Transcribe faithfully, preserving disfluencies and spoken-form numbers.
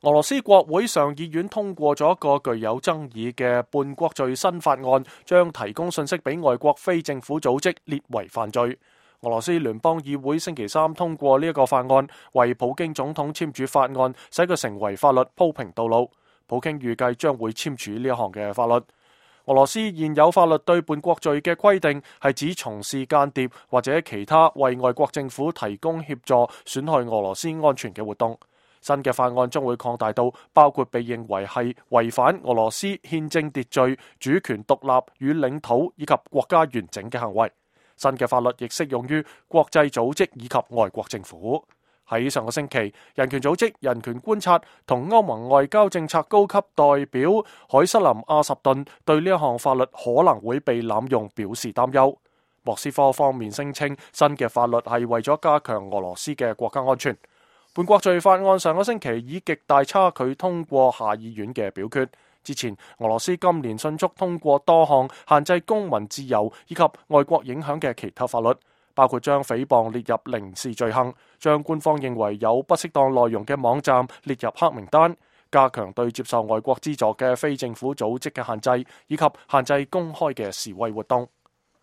俄羅斯國會上議院通過咗一個具有爭議嘅叛國罪新法案，將提供信息俾外國非政府組織列為犯罪。俄羅斯聯邦議會星期三通過呢一個法案，為普京總統簽署法案，使佢成為法律鋪平道路。普京預計將會簽署呢一項嘅法律。俄羅斯現有法律對叛國罪嘅規定係指從事間諜或者其他為外國政府提供協助損害俄羅斯安全嘅活動。新嘅法案將會擴大到包括被認為係違反俄羅斯憲政秩序、主權獨立與領土以及國家完整嘅行為。新嘅法律亦適用於國際組織以及外國政府。喺上個星期，人權組織人權觀察同歐盟外交政策高級代表海瑟琳阿什頓對呢一項法律可能會被濫用表示擔憂。莫斯科方面聲稱新嘅法律係為咗加強俄羅斯嘅國家安全。叛國罪法案上個星期以極大差距通過下議院嘅表決。之前，俄羅斯今年迅速通過多項限制公民自由以及外國影響嘅其他法律，包括將誹謗列入刑事罪行，將官方認為有不適當內容嘅網站列入黑名單，加強對接受外國資助嘅非政府組織嘅限制，以及限制公開嘅示威活動。